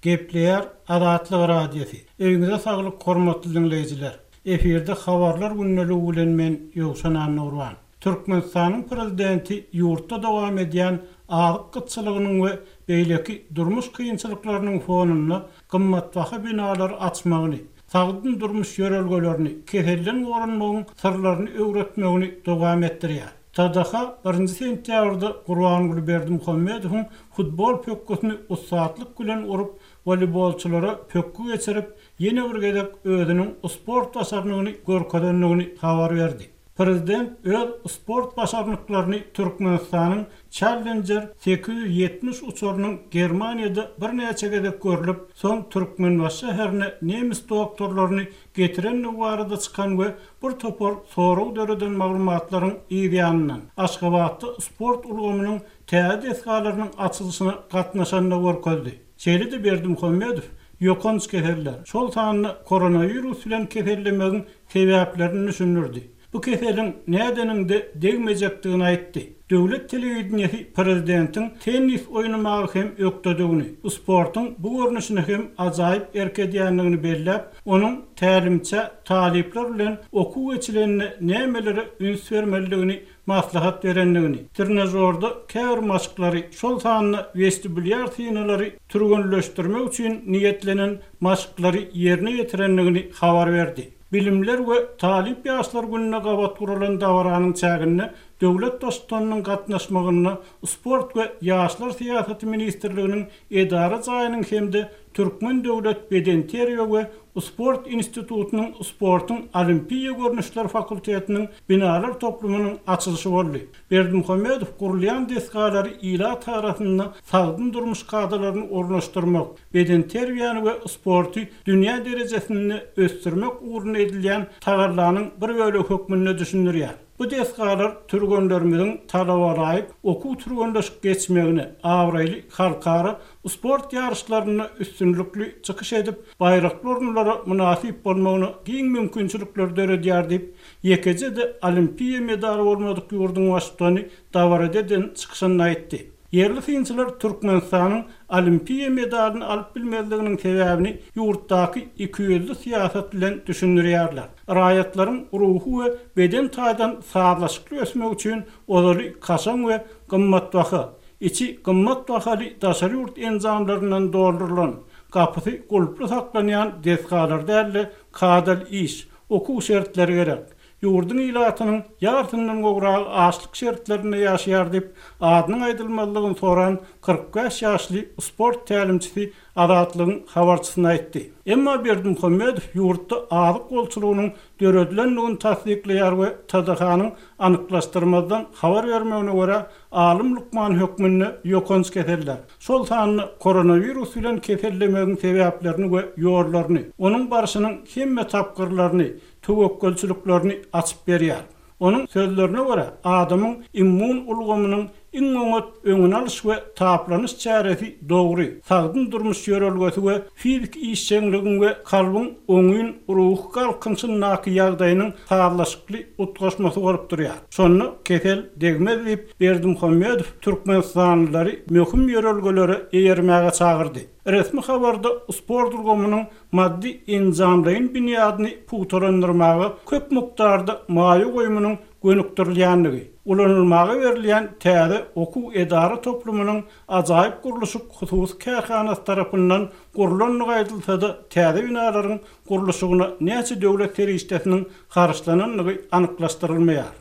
Gepleýär Azatlyk Radiosy. Öýüňize saglyk hormatly diňleýjiler. Efirde Habarlar gündeligi bilen men Ýowşan Annagurban. Türkmenistanyň Prezidenti ýurtda dowam edýän azyk gytçylygynyň we beýleki durmuş kynçylyklarynyň fonunda gymmatbaha binalary açmagyny, sagdyn durmuş ýörelgelerini, keselden goranmagyň syrlaryny öwretmegini dowam etdirýär. TDH birinji sentýabrda Gurbanguly Berdimuhamedowyň futbol pökgüsini ussatlyk bilen urup, woleýbolçylara pökgi geçirip, ýene bir gezek özüniň sport başarnygyny görkezendigini habar berdi. Prezident öz sport başarnyklaryny Türkmenistanyň Challenger 870 uçarynyň Germaniýada birnäçe gezek görlüp, soň Türkmenbaşy şäherine nemes doktorlaryny getirendigi barada çykan we bir topar sorag döreden maglumatlaryň yz ýanyndan, Aşgabatda sport ulgamynyň täze desgalarynyň açylyşyna gatnaşanda görkezdi. Şeýle-de Berdimuhamedow ýokanç keseller, şol sanda koronawirus bilen kesellemegiň sebäplerini düşündirdi. Bu keseliň nädeniňde degmejekdigini aýtdy. Döwlet telewideniýesi prezidentiň tennis oýnamaga hem ökdedigini, sportuň bu görnüşine hem ajaýyp erk edýändigini belläp, onuň tälimçä talyplar bilen okuw geçilende nämelere üns bermelidigini maslahat berendigini, trenažorda käbir maşklary, şol sanda westibulýar synalary türgenleşdirmek üçin niýetlenen maşklary ýerine ýetirendigini habar berdi. Bilimler we talyp ýaşlar gününe gabat guralan dabaranyň çäginde döwlet Baştutanynyň gatnaşmagynda Sport we ýaşlar syýasaty ministrliginiň edara jaýynyň hem-de Türkmen döwlet bedenterbiýe we sport institutynyň sportuň olimpiýa görnüşleri fakultetiniň binalar toplumynyň açylyşy boldy. Berdimuhamedow gurulýan desgalary ilat arasynda sagdyn durmuş kadalaryny ornaşdyrmak, bedenterbiýäni we sporty dünýä derejesinde ösdürmek ugrunda edilýän tagallanyň bir bölegi hökmünde düşündirýär. Bu desgalar türgenlerimiziň talabalaýyk okuw-türgenleşik geçmegine, abraýly halkara sport ýaryşlarynda üstünlikli çykyş edip, baýrakly orunlara mynasyp bolmagyna giň mümkinçilikleri döredýär diýip, ýekeje-de olimpiýa medaly bolmadyk ýurduň baştutany dabarada eden çykyşynda aýtdy. Ýerli synçylar Türkmenistanyň olimpiýa medalyny alyp bilmezliginiň sebäbini ýurtdaky ikiýüzli syýasat bilen düşündirýärler. Raýatlaryň ruhy we beden taýdan sazlaşykly ösmegi üçin ozaly kaşaň we gymmatbaha, içi gymmat bahaly daşary ýurt enjamlaryndan doldurylan, gapysy gulply saklanýan desgalar däl-de, kadaly iş, okuw şertleri gerek. Ýurduň ilatynyň ýarsyndan gowragy açlyk şertlerinde ýaşaýar diýip, adynyň aýdylmazlygyny soran 45 ýaşly sport tälimçisi Azatlygyň habarçysyna aýtdy. Emma Berdimuhamedow ýurtda azyk bolçulygynyň döredilendigini tassyklaýar we TDH-nyň anyklaşdyrmazdan habar bermegine görä, alym lukman hökmünde ýokanç keseller, şol sanda koronawirus bilen kesellemegiň sebäplerini we ýollaryny, onuň barşynyň hemme tapgyrlaryny, töwekgelçiliklerini açyp berýär. Onuň sözlerine görä, adamyň immun ulgamynyň iň oňat öňüni alyş we taplanyş çäresi dogry, sagdyn durmuş ýörelgesi we fiziki işjeňligiň we kalbyň oňyn ruhy galkynyşyndaky ýagdaýynyň sazlaşykly utgaşmasy bolup durýar. Şonda kesel degmez diýip, Berdimuhamedow türkmenistanlylary möhüm ýörelgelere eýermäge çagyrdy. Resmi habarda sport ulgamynyň maddy-enjamlaýyn binýadyny pugtalandyrmaga köp mukdarda maýa goýumynyň gönükdirilýändigi, ulanylmaga berilýän täze okuw-edara toplumynyň Ajaýyp gurluşyk hususy kärhanasy tarapyndan gurlandygy aýdylsa-da, täze binalaryň gurluşygyna näçe döwlet serişdesiniň harçlanandygy anyklaşdyrylmaýar.